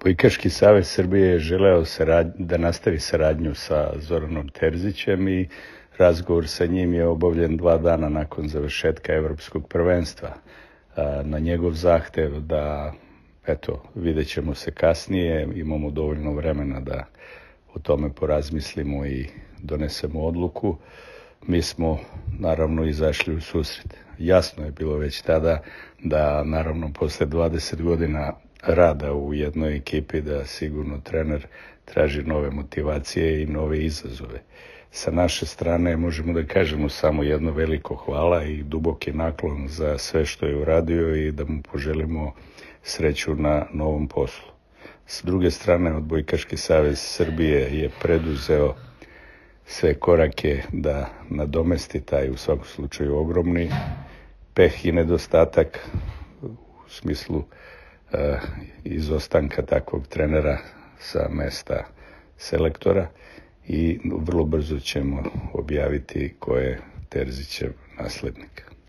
Odbojkaški savez Srbije je želeo da nastavi saradnju sa Zoranom Terzićem i razgovor sa njim je obavljen 2 dana nakon završetka evropskog prvenstva. Na njegov zahtev da, vidjet ćemo se kasnije, imamo dovoljno vremena da o tome porazmislimo i donesemo odluku. Mi smo naravno izašli u susret. Jasno je bilo već tada da naravno posle 20 godina rada u jednoj ekipi da sigurno trener traži nove motivacije i nove izazove. Sa naše strane možemo da kažemo samo jedno veliko hvala i duboki naklon za sve što je uradio i da mu poželimo sreću na novom poslu. S druge strane, Odbojkaški savez Srbije je preduzeo sve korake da nadomesti taj u svakom slučaju ogromni peh i nedostatak u smislu izostanka takvog trenera sa mesta selektora i vrlo brzo ćemo objaviti ko je Terzićev naslednik.